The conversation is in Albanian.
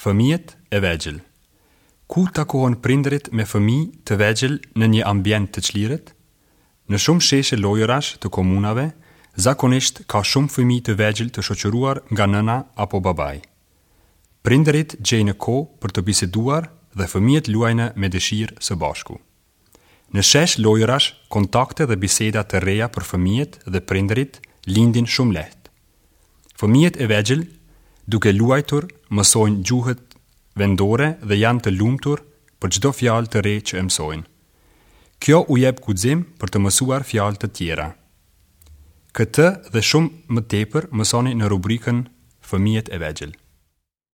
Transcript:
Fëmijët e vegjël. Ku takohen prindërit me fëmijë të vegjël në një ambient të çlirët? Në shumë sheshe lojërash të komunave, zakonisht ka shumë fëmijë të vegjël të shoqëruar nga nëna apo babai. Prindërit gjejnë kohë për të biseduar dhe fëmijët luajnë me dëshirë së bashku. Në shesh lojërash, kontakte dhe biseda të reja për fëmijët dhe prindërit lindin shumë lehtë. Fëmijët e vegjël, duke luajtur, mësojnë gjuhët vendore dhe janë të lumtur për çdo fjalë të re që e mësojnë. Kjo u jep guxim për të mësuar fjalë të tjera. Këtë dhe shumë më tepër mësoni në rubrikën Fëmijët e vegjël.